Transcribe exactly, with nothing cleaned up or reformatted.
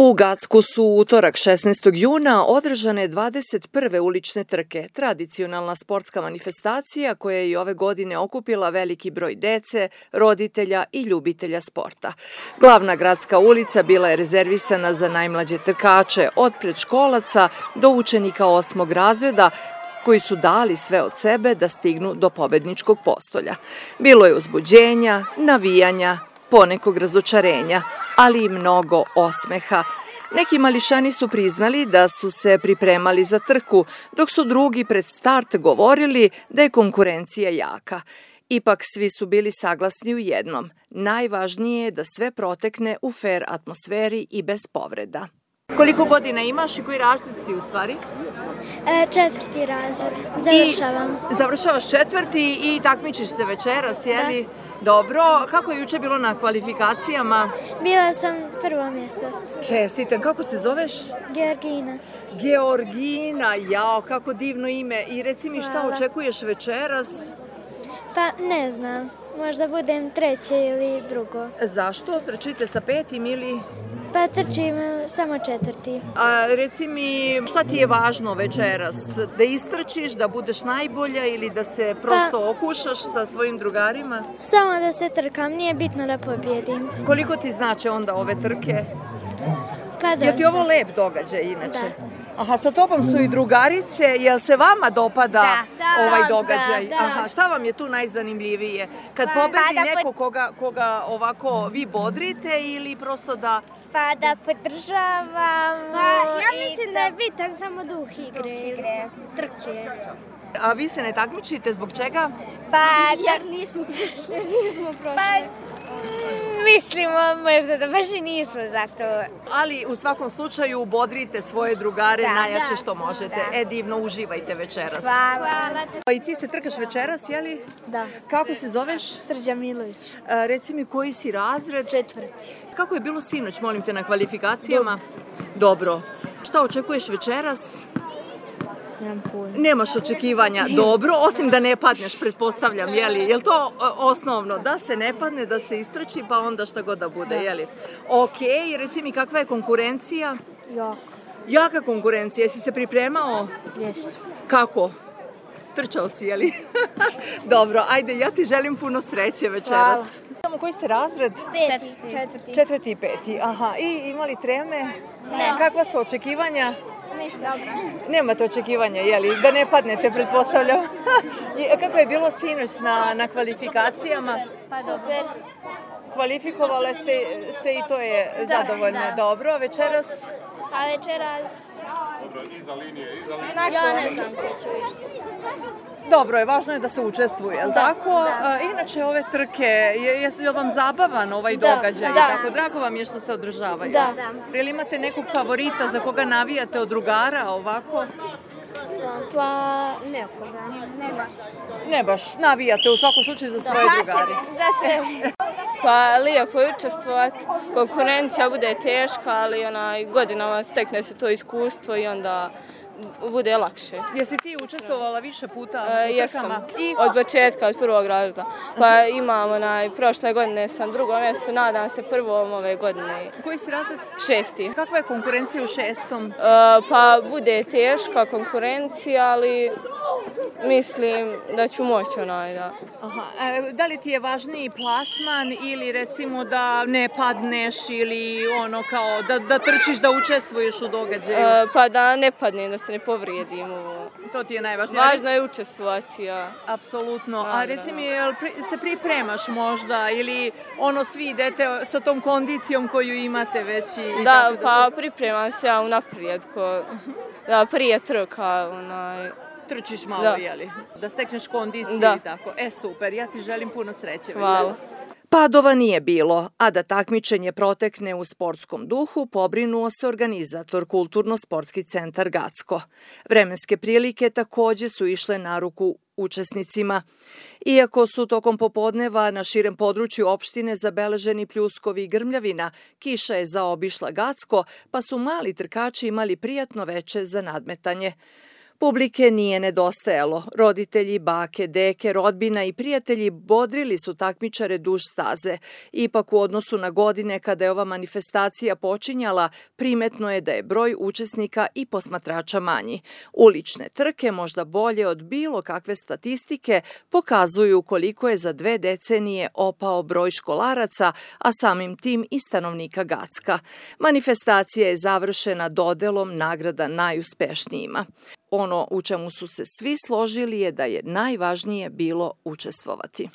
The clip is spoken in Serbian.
U Gacku su u utorak šesnaestog juna održane dvadeset prve ulične trke, tradicionalna sportska manifestacija koja je i ove godine okupila veliki broj dece, roditelja i ljubitelja sporta. Glavna gradska ulica bila je rezervisana za najmlađe trkače, od predškolaca do učenika osmog razreda, koji su dali sve od sebe da stignu do pobedničkog postolja. Bilo je uzbuđenja, navijanja, ponekog razočarenja, ali i mnogo osmeha. Neki mališani su priznali da su se pripremali za trku, dok su drugi pred start govorili da je konkurencija jaka. Ipak svi su bili saglasni u jednom. Najvažnije je da sve protekne u fer atmosferi i bez povreda. Koliko godina imaš i koji razred si u stvari? E, četvrti razred. Završavam. I završavaš četvrti i takmičiš se večeras, je li? Da. Dobro. Kako je juče bilo na kvalifikacijama? Bila sam prvo mjesto. Čestitam. Kako se zoveš? Georgina. Georgina, jao, kako divno ime. I reci mi šta Hvala. Očekuješ večeras? Pa ne znam. Možda budem treće ili drugo. Zašto? Trčite sa petim ili... Pa trčim samo četvrti. A reci mi, šta ti je važno večeras? Da istrčiš, da budeš najbolja ili da se prosto pa, okušaš sa svojim drugarima? Samo da se trkam, nije bitno da pobjedim. Koliko ti znače onda ove trke? Pa dosta. Je ti ovo lep događaj inače? Da. Aha, sa tobom su i drugarice, jel se vama dopada da, da, ovaj događaj? Da, da. Aha, šta vam je tu najzanimljivije? Kad pa, pobedi pa neko pod... koga, koga ovako vi bodrite ili prosto da... Pa da podržavamo. Pa, ja mislim da je bitan samo duh igre, igre. Trke. A vi se ne takmičite, zbog čega? Pa, jer nismo prošli, nismo prošli. Pa, mislimo možda da baš i nismo za to. Ali u svakom slučaju bodrite svoje drugare da, najjače da, što možete. Da. E, divno, uživajte večeras. Hvala. I ti se trkaš večeras, je li? Da. Kako se zoveš? Srđan Milović. A, reci mi koji si razred? Četvrti. Kako je bilo sinoć, molim te, na kvalifikacijama? Dobro. Dobro. Šta očekuješ večeras? Nemam pojma. Nemaš očekivanja. Dobro, osim da ne padneš, pretpostavljam, je li? Je li to osnovno? Da se ne padne, da se istrči, pa onda šta god da bude, je li? Okej, reci mi kakva je konkurencija? Jaka. Jaka konkurencija. Jesi se pripremao? Jesu. Kako? Trčao si, je li? Dobro, ajde, ja ti želim puno sreće večeras. Samo koji ste razred? Peti. Četvrti. Četvrti i peti, aha. I imali treme? Ne. Kakva su očekivanja? Ništa. Dobro. Nemate očekivanja, je li? Da ne padnete, pretpostavljam. Kako je bilo sinoć na, na kvalifikacijama? Pa super. Kvalifikovale ste se i to je da, zadovoljno. Da. Dobro, večeras? Pa večeras... Dobro, iza linije, iza linije. Ja ne znam ko ću ići. Dobro je, važno je da se učestvuje, je li tako? Da. Inače, ove trke, je, je vam zabavan ovaj da, događaj? Da. Tako, drago vam je što se održavaju? Da. da. Ili imate nekog favorita za koga navijate od drugara ovako? Pa, nekoga. Ne baš. Ne baš, navijate u svakom slučaju za svoje za drugare? Za sve. Pa lijepo je učestvovati, konkurencija bude teška, ali onaj, godinama stekne se to iskustvo i onda bude lakše. Jesi ti učestvovala više puta u trkama? E, jesam, I... od početka, od prvog razreda. Pa imam, onaj, prošle godine sam drugo mjesto, nadam se prvom ove godine. Koji si razred? Šesti. Kakva je konkurencija u šestom? E, pa bude teška konkurencija, ali mislim da ću moći onaj da... Aha. E, da li ti je važniji plasman ili recimo da ne padneš ili ono kao da, da trčiš, da učestvuješ u događaju? E, pa da ne padnem, da se ne povrijedim. To ti je najvažnije. Važno je učestvovati, ja. Apsolutno. A reci mi, jel se pripremaš možda ili ono svi idete sa tom kondicijom koju imate već i... Da, tako da pa se... pripremam se ja unaprijed, ko, da prije trka, onaj... Trčiš malo, da. Jeli? Da stekneš kondiciju da. I tako. E, super, ja ti želim puno sreće večeras. Padova nije bilo, a da takmičenje protekne u sportskom duhu pobrinuo se organizator Kulturno-sportski centar Gacko. Vremenske prilike takođe su išle na ruku učesnicima. Iako su tokom popodneva na širem području opštine zabeleženi pljuskovi i grmljavina, kiša je zaobišla Gacko, pa su mali trkači imali prijatno veče za nadmetanje. Publike nije nedostajalo. Roditelji, bake, deke, rodbina i prijatelji bodrili su takmičare duž staze. Ipak u odnosu na godine kada je ova manifestacija počinjala, primetno je da je broj učesnika i posmatrača manji. Ulične trke, možda bolje od bilo kakve statistike, pokazuju koliko je za dve decenije opao broj školaraca, a samim tim i stanovnika Gacka. Manifestacija je završena dodelom nagrada najuspešnijima. Ono u čemu su se svi složili je da je najvažnije bilo učestvovati.